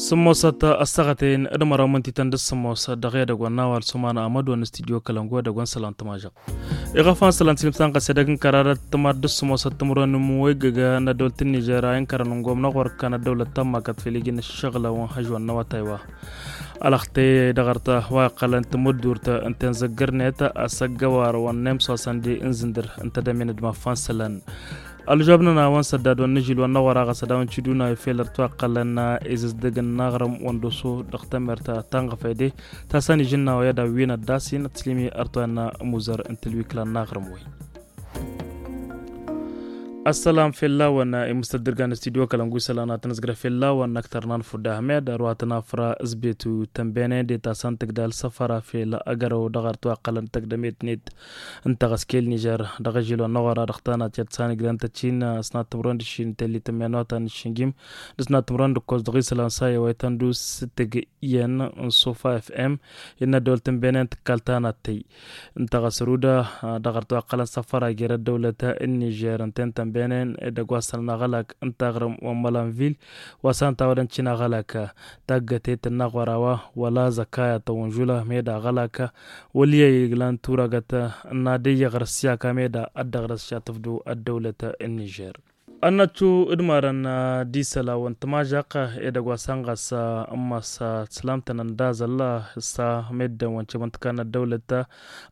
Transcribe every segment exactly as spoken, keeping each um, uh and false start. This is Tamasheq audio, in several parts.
Sǝmmosăt ăssaɣăten d-măraw mǝntităn d-sǝmmosăt dăɣ-edăgg wa n-awal s-uman amădon n-studyo kălăngu edăgg wa n-sălan tǝmažăɣ. Iɣăfan sălan tilǝmsan ɣas edăgg n-kăradăt tǝmar d-sǝmmosăt timǝrwen n-imwăggăgăn n-ăddăwlăt n-nižer a inkărăn n-gomna ɣur-kăn ăddăwlăt ta n-makat fel iji n-ǝššăɣǝlăn wa n-hăžwan n-awătay wa. Ălăxte dăɣ-arta wa iqqălăn timǝddurt n-tenzăggărnet asăggăwar wa n-nemsosăn de n-zǝndǝr n-tedămen d-mafan sălan. Ălžobnăn a-wa n-săddad wa n-ažil wa n-aɣora ɣas ad-awăn-t-iduna i-fel ărtwa iqqălăn izǝzdǝg n-aɣrǝm wa n-doso dăɣ-temert ta n-ɣăfăy de ta s-ănižǝnna wa i-ad-awǝyăn ăddas-in ătslǝmi ărtwa n-amuzăr n-tǝlwikla n-aɣrǝm-wen. Ăssălam fell-awăn imǝstăt d-irgan studyo kălăngu isălan ad-tăn-ǝzgrăf fell-awăn n-ăktărnan fudda ahmed ărwa tăn-afra ǝzbetu tănbenen de ta s-ăntǝgdal săfăra fel agărăw dăɣ-ărtwa iqqălăn tăgdămet-net n-taɣăskel nižer dăɣ-ažil wa n-aɣora dăɣ-tanat i-ad-sanǝgdăn tăt-in s-nattǝmrăn d-ašin telli tămmenota n-ašin gim d-s nattǝmrăn d-ǝkkoẓ dăɣ-isălan sa i-wa ităndus tǝg iyyăn n-sufa f m innă ăddăwlăt n-benen tǝkkal tanattăy n-taɣăsruda dăɣ-ărtwa iqqălăn săfăra jer-ăddăwlăt n-nižer ǝnta-en tănbenen edăgg wa s-sălăn aɣălak n-taɣrǝm wa n-mălanvil wa s-ănta wa dăncin aɣălak taggătet n-aɣora wa wăla zăkaya tăwănžula med aɣălak wăl' i-ăyǝglan turagăt n-ad-ăyyăɣrǝs i-aka med ad-dăɣrǝs šatǝfdu ăddăwlăt n-nižer. Ănnăttu d-imarăn d-isălan wa n-tămažăɣt edăgg wa s-ănɣas n-massa tǝslamtăn ăndazăl s-a meddǝn wa n-cimǝntǝka n-ăddăwlăt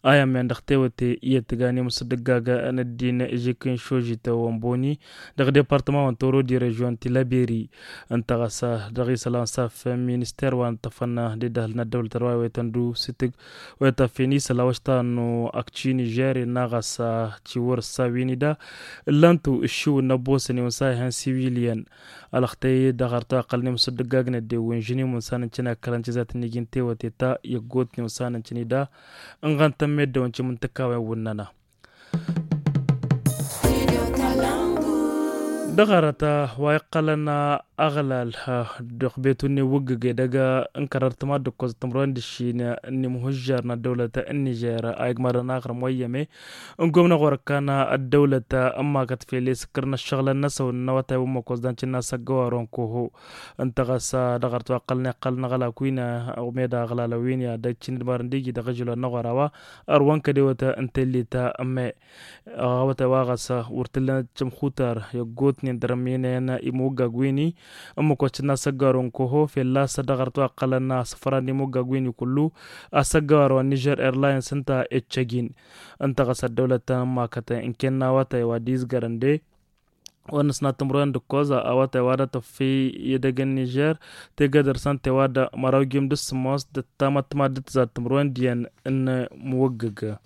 a i-ămmen dăɣ-tewăte iyyăt tǝgan imǝsdǝggag n-ăddin žik n-šožităn wa n-boni dăɣ-departăma wa n-toro di režion tilăberi ǝnta ɣas dăɣ-isălan s-a făn minister wa n-tăfăn d-idăhăl n-ăddăwlăt ărwa i-wa ităndu s-itǝg wa ităffin isălan wa s-tannu ăkci nižer innă ɣas ciwăr s-a wi n-ida ǝllan-tu ǝššiwǝn n-ăbboosăn iwǝn s-a ihăn siwiliyăn ălăxtăy dăɣ-artu a iqqălăn imǝsǝddǝggagnet de wǝnžǝn imǝnsan n-cǝna kălăn cizat n-iji n-tewăte ta i-ăggootnen iwǝnsan n-cǝnida ǝnɣăn tămmeddăwăn cimǝntǝkkawen wǝnnăna. Dăɣ-arăt wa iqqălăn aɣlal dăɣ-betu n-iwǝggǝge dăgg n-kărărt ma d-ǝkkoẓ tǝmrăwen d-ǝššin n-imhǝžžar n-ăddăwlăt n-nižer a igmărăn aɣrǝm wa iyyăme n-gomna ɣur-ǝkkan ăddăwlăt n-makăt fel i-sǝkkăr n-ăššăɣǝlăn-năsăn n-awătay wa n-măkkoẓ d-ancǝnna s-ăggăwar wa n-koho ǝnta ɣas dăɣ-arăt wa iqqălăn iqqălăn aɣlak wi n-med aɣlalăn wi n-i ad-ăccǝn d-marăn d-iji dăɣ-ažǝl wa n-aɣora wa ărwăn kădewăt n-tellit ămme ăɣawătay wa ɣas wăr t-ǝllan cǝmxutar i-ăggootnen dăr-ămminăyăn imwăggag wi n-i n-măkkoẓ cǝnna s-ăggăwar wa n-koho fălla-s dăɣ-arăt wa iqqălăn asǝfran d-imwăggag wi n-i kullu asăggăwar wa n-nižer airlines ǝnta i-ăccăjin ǝnta ɣas ăddăwlăt ta n-makăt ǝnken n-awătay wa d-izgărăn de wa n-ăsnat timǝrwen d-ǝkkoẓ awătay wa d-atăffi i-edăgg n-nižer tegădăr s-ănta i-wa d-măraw jim d-ǝssǝmmos d-ăttamăttăma d-tǝzzat timǝrwen d-iyyăn n-imwăggăg.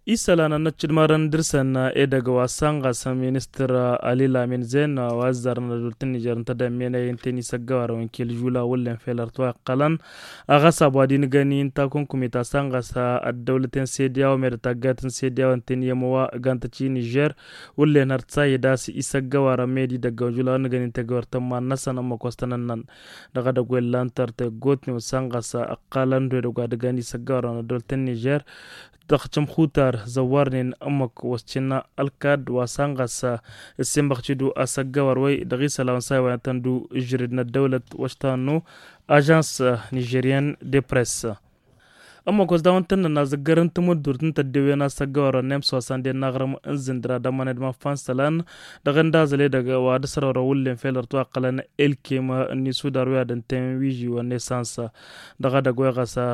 Isălan ănnăcc d-imarăn dăr-săn edăgg wa s-ănɣas ministăr ali lamin zen wa ăzzarăn ădult n-nižer ǝnta d-emmenăy ǝnta-en isăggăwarăn wi n-kil žula wǝllen fel ărtwa iqqălăn a ɣas abo ad-inǝgăn i-ǝnta kunkumit a-s ănɣas ăddăwlăten sediyaw med taggayt n-sediyaw ǝnta-en i-ămăwa gantăt i-nižer wăllen hărtsa i-das isăggăwarăn med idăggăwăn žula wa n-nǝgăn-in tegăwărtăn iman-năsăn ămmăk wa s-tăn-ănnăn dăɣ-edăgg wa illan tărtăy ăggootnen wa s-ănɣas ăqqalăn du edăgg wa dăgg-an isăggăwarăn ăddăwlăt n-nižer dăɣ-cǝmxutar zăwwarnen ămmăk wa s-cǝnna ălkad wa s-ănɣas ǝssinbăɣ-t-dd asăggăwar-way dăɣ-isălan wa n-sa i-wa n-tăn-dd-ǝžrǝd n-ăddăwlăt wa s-tannu ažans nižeryen de press. Ămmăk wa s-dawăn tăn-nănna zǝggărăn timǝddurt n-tăddewen asăggăwar wa n-emsosăn de n-aɣrǝm n-zǝndǝr ad-ămmăned ma fansalăn dăɣ-ăndazăl edăgg wa d-asărăwrăn wǝllen fel ărtwa iqqălăn elkem n-isudar wi ad-ǝnten wiži wa n-esans dăɣ-edăgg wa iɣăsa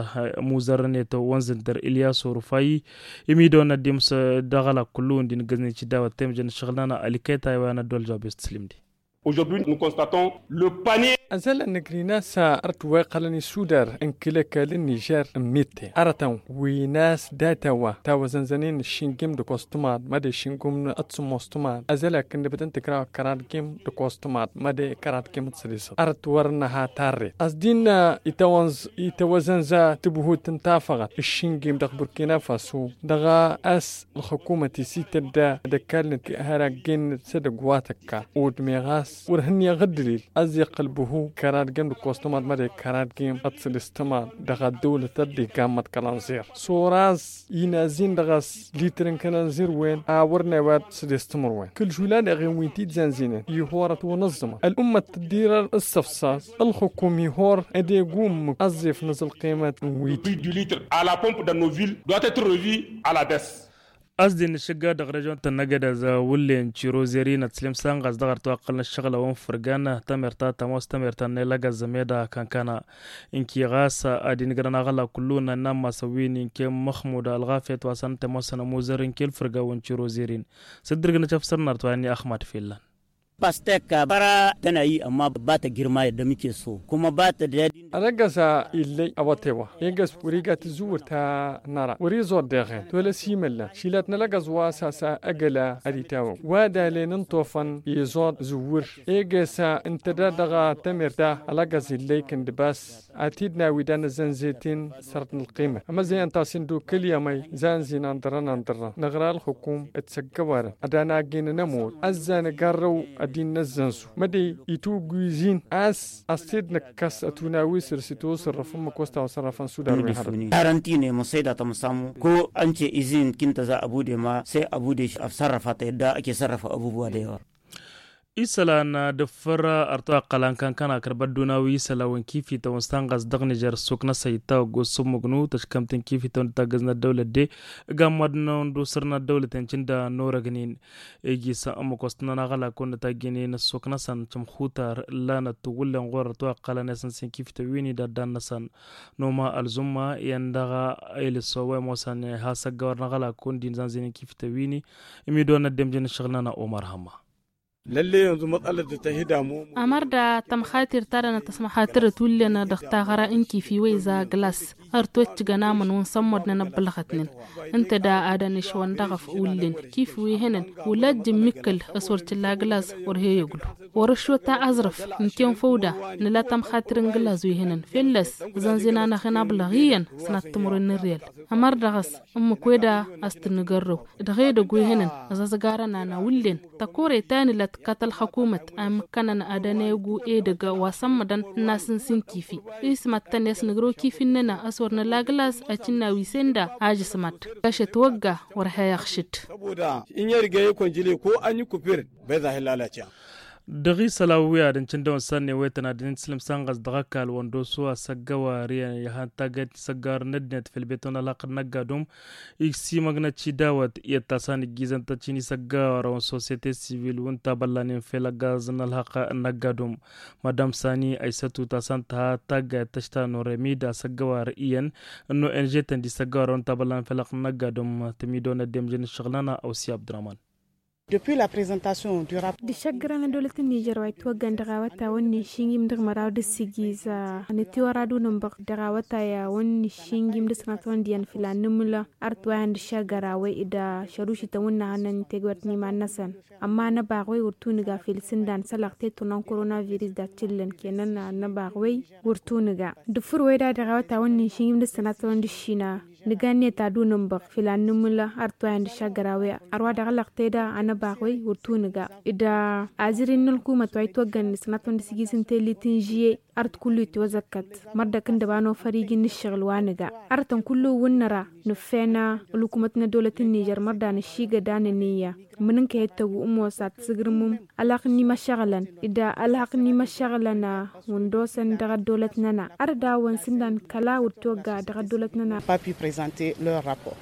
muzărăn i-tăwwăn zǝndǝr ilyas orufay imidăwăn ad-dd-imǝs dăɣ-alak kullu-wǝn d-inǝggǝznen cidawăt temjăn ǝššăɣǝl-nănăɣ ălikăy taywa i-anăddol jabes tǝslǝm-di. Aujourd'hui nous constatons le panier. Ăzălăn nǝgrin a-s ărăt wa iqqălăn isudar n-kǝl-ăkall n-nižer n-mitte arătăn wi n-a-s data wa tawăzănzănen ǝššingǝm d-kostămad măde ǝššingǝm d-sǝmmostămad ăzălăn ăkk n-dăbătăn tǝkraw kăradgǝm d-kostămad măde kăradgǝm d-sădisăt arăt wăr-năha tarret ăsdin itawănz itawăzănza tǝbhut n-tafăɣăt ǝššingǝm dăɣ-burkina faso dăɣ-a-s ălxukumăt isitădda d-ăkall n-hăraggen s-edăgg wa tăkka odmeɣ a-s Wăr hǝnneɣ ăddălil ăzzeɣ kăl-băhu kăradgem d-kostumăḍ mădde kăradgem ad-t-sădistămăḍ dăɣ-ăddăwlăt ăddigam măḍkălăn ziɣ. Soraz inazin dăɣ-s litr n-kănăn zirwen a wăr n-ewa ad-t-sădistămăḍ wen kăl-žula dăɣ-en wi n-tidzanzinen ihor ad-t-wănăẓẓămăḍ ăl'ummăt tăddirăr ǝssăfsas. Ălxukum ihor ad-egum ăzzef n-azǝlqimăt n-wi-di. Prix du litre à la pompe dans nos villes doit être revu à la baisse. A-s dd-innǝššǝgga dăɣ-režon-tăn n-agădaz wullen cirozerin ad-t-slemsa n-ɣas dăɣ-ar twaqqălăn ǝššăɣǝl a-wen fǝrgan. Tămert ta tămoos tămert ta n-elăgăz meda kankana. Ǝnki ɣas ad-inǝgrăn aɣăla kullu n-anna n-masăn wi n-inken măxmud ălɣafyăt wa s-ad-nǝtămoosăn ămuzăr ǝnkel fǝrga wi n-cirozerin. S-dd-ǝrgǝnăt afsăr n-arăt wa n-i axmad fellăn. Pastek bara tănayy ămma ba tăgirmayăt d-ămikeso kuma ba tădadin. Ălăggăs a illăy awătewa egăs wăr-iga tǝzzǝwǝr ta năra wăr-iẓor deɣen tolăs imăllan šilăt n-ălăggăs wa s-a-s ăgăla ad-itawăw wa d-alen n-tofăn iẓor zǝwwǝr. Egăs ǝntăda dăɣ-tămert ta ălăggăs illăy kăndǝbas. Ad-t-dd-nawi d-anăzzănzet-in sărt n-ălqimăt ămăzzăyăn ta s-indukǝl i-amăy zanzin andărăn andărăn năɣra ălxukum d-săggăwarăn ad-anagin n-ămodd ăzzan ăgarrăw ad-innăzzănzu mădăy itugwizin a-s a-s t-dd-năkkăs ătunawis ărsitosărrăf n-măkos ta wa sărrăfăn sudar wi n-hărăt. Tarăntine măsăyda tămăsamu ko ănce izin kintăza ăbude ma se ăbude afsărrăfa ta edda ăke sărrăfa ăbubuwa dăy-wa. Isălan d-ǝffăr ărtăwăqqălan kankăn akărbăt d-unawi isălan wi n-kifităwăn s-tanɣas dăɣ-nižer ăssok-năsăn ittawăggo s-sǝmmǝgnu tăškămt n-kifităwăn d-taggăz n-ăddăwlăt de. Gamad n-ăndusăr n-ăddăwlăt incǝnda n-orăgnin iji s-ămmăk wa s-tǝnnăn aɣălak wăr nǝtajjǝnen ăssok-năsăn cǝmxutar. Ǝllanăt tǝwwǝllen ɣur-ărtăwăqqălan i-asăn s-inkifităw wi n-idaddan n-asăn n-oma ălzumma iyyăn dăɣ-elǝso wa imoosăn has-ăggawăr n-aɣălak wăr n-dd-inzanzăynen kifităw wi n-imidon n-ăddemjăn n-ǝššăɣǝl-nănăɣ omar hămma. Lălle yanzu mătsalăt d-tăhǝdamu. Ămăr da tămxatir ta dăɣ-năt tăsmăxatărăt wullen dăɣ-taɣăra n-kifi wa iza glas. Ărtoččǝgăn amăn wa n-sămmodnen ăbbălɣătnen ǝnta da ad-ănešwăn dăɣ-ăf wullen kif wi hănăn wăla ăjjǝmmikăl. S-wăr t-illa glas wăr he-ăglu wăr-ăššot a aẓrǝf. Ǝnken făw da nǝla tămxatir n-glas wi hănăn fell-ăs ăẓănzin-anăɣ-en abǝlăɣ iyyăn sănat timǝrwen n-ărriyăl. Ămăr dăɣ-s ǝmmǝk weda a-s tǝnnǝgărrăw dăɣ-edăgg wi hănăn ăẓăẓgarăn-anăɣ wullen tăkore ta nǝla tǝkkat ălxăkumăt a imǝkkănăn ad-ănegu edăgg wa sămmădăn n-asǝns n-kifi. Ismăttăn i-asnǝgrăw kifi-nănăɣ a-s wăr nǝla glas ăcinna wi sen da ažǝsmăt. Kašăt wăgga wăr he-iɣšǝd. Saboda in ya riga ya konjile ko an yi kufir bai za hi lalace. Dăɣ-isălan wi ad-ǝncǝndăwăn s-ad-newetăn ad-dd-inǝslǝm s-anɣăs dăɣ-ăkall wăndosu asăggăwar iyyăn ihăn taggayt n-isăggăwar n-ăddinăt făll-beton ălhăqq n-ăgg-adum. Isimăgnăt cidawăt iyyăt ta s-ad-nǝjjizăn tăt-in isăggăwar wa n-sosiyete sivil wi n-tabăllanen făll-ăggaz n-ălhăqq n-ăgg-adum. Madam sani aysătu ta s-ad-tǝha taggayt tăšta n-orămid asăggăwar iyyăn n-ong-tăn d-isăggăwar wa n-tabăllanen făll-ălhăqq n-ăgg-adum. Tǝmidon ăddemjăn n-ǝššăɣǝl-nănăɣ ăwsi abdurăman. Dăɣ-išăggărăn ăddăwlăt n-nižer wa itwăggăn dăɣ-awătawăn n-išingim dăɣ-măraw d-ǝssigǝz. Nǝtiwăr ad-unǝnbăɣ dăɣ-awătawăn n-išingim d-ǝsnatwăn d-iyyăn fila n-nǝmǝl. Ărtwayăn d-išăggăra wăy d-ašărušităn wǝnnăɣăn n-tegwărt n-iman-năsăn. Ămma anăbaɣ wăy wăr tunǝga fil sǝndan sălăɣ teturnăn koronavirus d-ad-t-illăn kenăn anăbaɣ wăy wăr tunǝga. Dăɣ-făr wăy da dăɣ-awătawăn n-išingim d-ǝsnatwăn d-ǝššina. Nǝga-net ad-unǝnbăɣ fila n-nǝmǝl ărtwayăn d-išăggăra wăy. Ărwa dăɣ-lăɣte da anăbaɣ wăy wăr tunǝga d-azǝrin n-ălkumăt wa itwăggăn d-sănatwăn d-sǝjis n-tellit n-žiyye. Ărt kullu itwăzăkkăt mărdăk ǝndăba n-ofăr iji n-ǝššăɣǝl wa nǝga. Ărtăn kullu wǝnnăra nǝffen ălkumăt n-ăddăwlăt n-nižer mărda nǝššigăd anăniyya. Mǝnǝnk i-tăggu ămoos ad-t-sǝgrǝmǝm ălhăqq n-imăššăɣǝlăn d-ălhăqq n-imăššăɣǝlăn wǝndosăn dăɣ-ăddăwlăt-nănăɣ. Ărdaw wa n-sǝndan kăla wăr t-iwăgga dăɣ-ăddăwlăt-nănăɣ. Papy prezante leur rapport.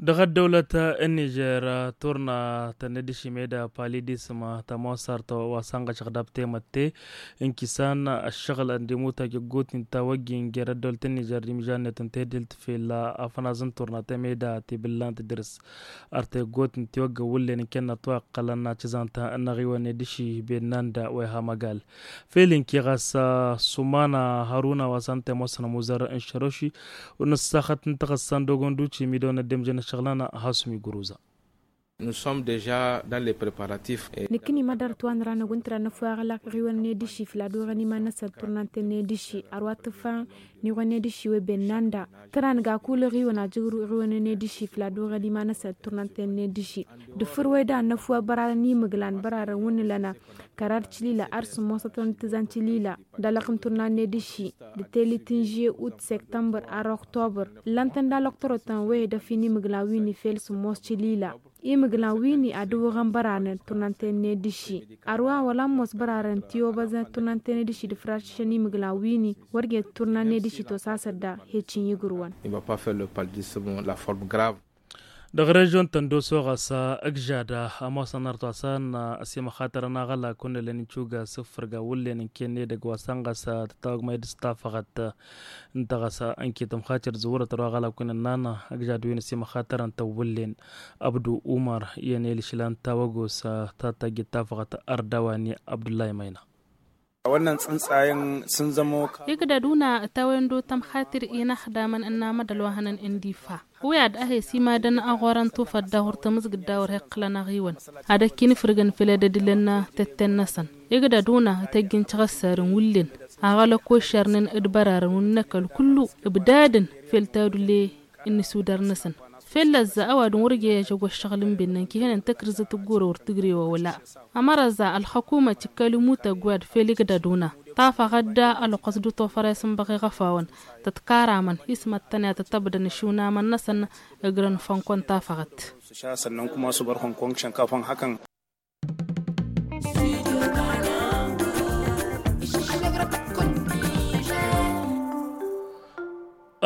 Dăɣ-ăddăwlăt n-nižer turna tănăddišim eda palidism tămoosart wa s-anɣăšăɣ dab-temătte. N-kisan ăššăɣǝl ăndimutăj ăggotin tawăjjin jer-ăddăwlăt n-nižer d-imžannet n-tedhǝlt fel afănaz n-turna temeda tibǝllant dăr-s. Ar teggot n-tiwăgg wullen n-kennăt wa ǝqqălăn acǝzant n-aɣiwăn edǝši bennanda wa iha măgal. Fel inki ɣas sumana hăruna wa s-ănta imosăn ămuzăr n-šăroši. Wăr nǝssaxăt n-taɣǝssa n-dogonduci midăwăn ăddemjăn ăššăɣǝl-nănăɣ hasumi guruza. Nǝkkǝni mădar tǝwanra năgg wǝntǝra năfwa aɣlaq ɣiwăn n-ediši fladuɣăn iman-năsăn turnanten n-ediši arwa tǝfan n-iɣwen n-ediši webennanda tǝra nǝga kulǝɣ iwăn ajǝgru iɣwen n-ediši fladuɣăn iman-năsăn turnanten n-ediši dăfǝr weda năfwa bărarăn imǝglan bărarăn wǝnnǝlăna kărar cǝlila ar sǝmmosătăn d-tǝzan cǝlila dalăɣ n-turnan n-ediši d-telit n-žie ut sektămbăr ar oktobăr ǝllăn-tăn dalăɣ tărotăn wehedăf-in imǝglan wi n-ifel sǝmmos cǝlila imǝglan wi n-adǝwwăɣăn bărarăn turnanten n-ediši arwa wăla ămoos bărarăn tiwăbăzăn turnanten n-ediši d-făraršăn imǝglan wi n-wăr gen turnan n-ediši tosasăt da heci n-igǝrwăn. Dăɣ-režion-tăn d-osoɣas ǝgžada ămoosăn artoasăn ăsimăxatărăn aɣălak wǝnnălăn icuga s-ǝffǝrga wǝllen n-kenne dăgg-wa săn ɣas tătawăgmăy d-s-tafăɣăt n-taɣăsa n-kităm xatir zǝwrăt ărwa ɣălak wǝnnălăn ăgžad wi n-ăsimăxatărăn tăwwǝllen abdu umăr i-ănel išlan tawăgos ta tajjǝt tafăɣăt ărdăwani abdullahi măyna. Ǝgdăduna ătawăyăn d-otăm xatir inaxdamăn ǝnnamădăl wa hănăn n-difa wi ad-ăhes imadăn ăɣorăn tufăt daɣ wăr tămǝzgǝd daɣ wăr heqqǝlăn aɣiwăn ad-ăkkinǝfrǝgăn făll-edădǝlăn tetten-năsăn. Ǝgdăduna tăjjǝn tiɣăssarăn wǝllen aɣălăk oššărnen d-bărarăn wǝnnăkăl kullu ǝbdadăn făll-tadulle n-isudar-năsăn făll-ăzza ăwadǝm wăr ija ăžăgg ăššăɣǝl n-bennăn kihănen tăkrǝzăt ǝggurăwăr tǝgre wa wăla. Ămărăza ălxăkumăt ikkăl imutăgg wi ad-fel igdăduna tafăɣăt da ălɣăs d-tofăr isǝnbăɣ iɣăfawăn tătkaramăn ismăttăn i-ad-tătăbdăn išunamăn-năsăn ǝgrăn fănkon tafăɣăt.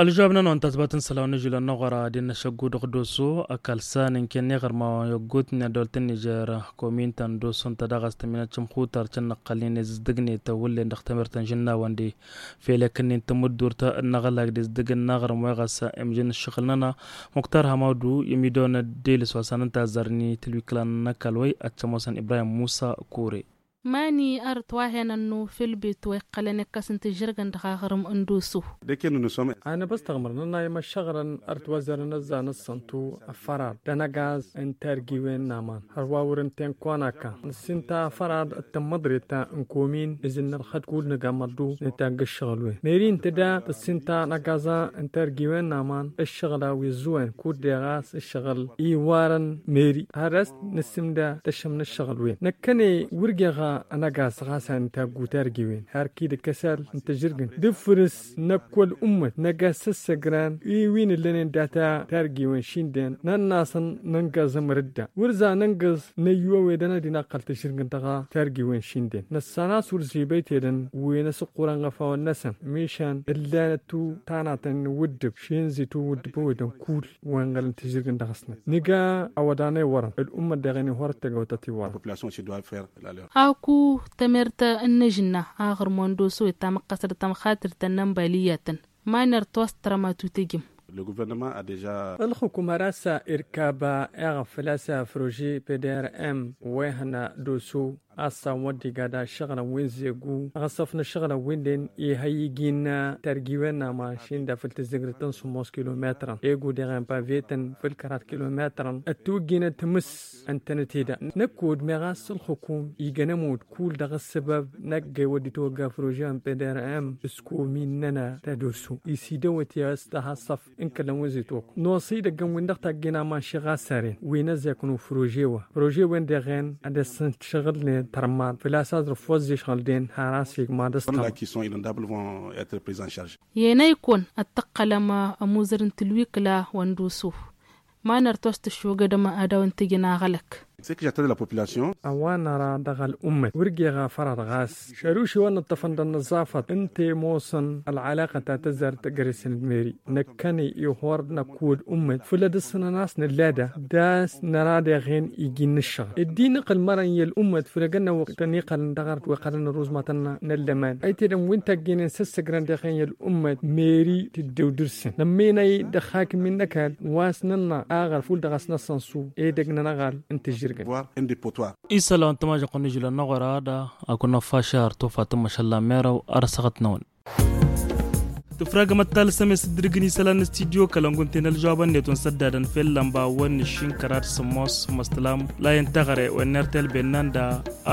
Ălžăwab-nănăwăn tazbat n-isălan n-ažulăn n-aɣora ad-innăšăggu dăɣ-doso ăkall s-a n-inken iɣărmawen i-ăggootnen ăddăwlăt n-nižer komin-tăn doso ǝnta daɣ a-s tăminăt šǝmxutar cǝnnăqqălnen i-zǝzdǝgnet wǝllen dăɣ-temert n-žǝnnawăn de fel ekǝnnin tamǝddurt n-aɣălak d-izdǝgǝn n-aɣrǝm wa i-ɣas imjǝn ǝššăɣǝl-nănăɣ. Muktar hamawdu i-midon d-elǝs wa s-a n-ǝnta a zărni tǝlwiklan n-ăkall wa-i ad-t-ămoosăn ibrahim musa kure. Mani ărăt wa hen ănnu făll-bet wa iqqălăn ikkăs n-tǝžžărgăn dăɣ-aɣrǝm n-doso. Anăbăstăɣmăr nănayăm ăššăɣǝlăn ărăt wa zărăn ăzzan ăssăntu ăffărad d-anăgaz n-targiwen n-aman hărwa wăr-ǝnta inkonaka nǝssinta ăffărad d-tămmăḍret n-komin izǝnnălxăd kud nǝgamăḍdu nǝtagg ǝššăɣǝl-wen meri ǝnta da tǝssinta anăgaz n-targiwen n-aman ǝššăɣǝl a-wa izzǝwăn kud deɣ a-s ǝššăɣǝl iwarăn meri har a-s nǝssǝmda tăššăm n-ǝššăɣǝl-wen năkkăne wăr geɣ anăgaz ɣas a n-taggu targiwen har kid-ǝkkăsal n-tǝžrǝgǝn d-ǝffǝrǝs năkk wăl-ummăt năgg a-s ăssăgran i-wi n-ǝllănen data targiwen šinden nănn'-asăn nǝngăẓ ămrǝdda wăr za nǝngăẓ năyyu a-wedăn ad-inaqqăl tǝžrǝgǝn dăɣ-targiwen šinden năssan a-s wăr zibăy tedăn wen ăsǝqqurăn ɣăfawăn-năsăn mišan ǝllanăt-tu tanatăn n-iwǝddǝb šenzi-tu iwǝddǝb a-wedăn kull wa inɣălăn tǝžrǝgǝn dăɣ-snăt nǝga awăḍan a iwărăn ălummăt daɣ-en ihorăt tăgawtăt iwărăn. Aku temert n-inǝžǝnna aɣrǝm wa n-doso itamăqqăsăd tamxatirt ta n-ănbaliyyatăn ma n-ărtos tărămatu tǝjǝm. Ălxukum har a-s irkab eɣăf făl-a-s prože pdrm wa ihăn doso a-s a wăddiga da ǝššăɣǝlăn wi n-zeggu ăɣăsăf n-ǝššăɣǝlăn wi-nen ihăy iji n-targiwen n-aman šinda făll-tǝzzǝgrǝt n-sǝmmos kilometrăn egu deɣen pavetăn făll-kărat kilometrăn ăttojjinăt mǝs ǝntănăt eda năkk wăr-dd meɣ a-s ălxukum ijăn ămudd kull dăɣ-ăssăbăb năkk ewădd itwăgga prože n-pdrm s-komin-nănăɣ ta doso isidăwăt i-a-s tăhassăf n-kălăn wi n-zitwăk nosi idăggăn-win-dăɣ tajjin aman šiɣasaren wi n-ăzzeknu prože-wa prože-wen deɣen ad-ăssăn šăɣǝlnen tărmad făl-a-s aẓrǝf wa ăzzišɣǝl-den har a-s igmad ăstămăḍ. Yen a ikon ad-tăqqălăm ămuzăr n-tǝlwikla wa n-dusu ma nărtos tǝššogădăm ad-dăɣ-wăn tǝjǝn aɣălăk. A-wa năra dăɣ-ăl'ummăt wăr geɣ afărad ɣas šăruši wa n-ǝṭṭăfăn dăɣ-năẓẓafăt ǝnta i-ămoosăn ălɣălăɣăt ta tăzzar tăgresăn d-meri năkkăne ihor năkk wăl-ummăt făll-ad-ǝssǝnăn a-s nǝllada d-a-s năra deɣen iji n-ǝššăɣǝl ăddin ǝqqǝl mărăn i-ăl'ummăt făll-egănna wăqq tăn-iqqălăn dăɣ-arăt wa iqqălăn ăruzmatăn n-ăllăman ăytedăn wi n-tăggenen s-ăssăgrăn deɣen i-ăl'ummăt meri tǝddew dăr-săn nămmenăy dăɣ-hakǝm-in n-ăkall wa s-nănna aɣăl făll-dăɣ-s năssănsu edăgg n-anăɣal n-tǝžžǝrgăn. Isălan tămažăɣt n-ižǝlăn n-aɣora da akǝnna fašar tufat n-măšăllan merăw ar ăssaɣăt-năwăn. Tǝfragămăt talǝsăm i-s dd-irǝgǝn isălan n-studyo kălăngu ǝnta i-inălžoabăn-net wa n-săddadăn fell-ănba wăn n-aššin kăraḍ sămmos măstălam layăn teɣăre wa n-ertel bennan da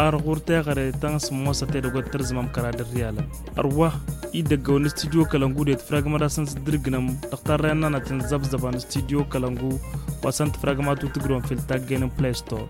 arɣur teɣăre ta n-sămmos a tedăgg wa t-tărzǝmăm kăraḍ n-riyalăn. Ărwa idăgg-awăn n-studyo kălăngu d-e tǝfragămăt a-s n-s dd-irǝgǝnăm dăɣ-tarrăyăn n-anăt inẓăbzăba n-studyo kălăngu wa s-ănn tǝfragămăt u-tǝgrǝwăm fil-taggen n-playstor.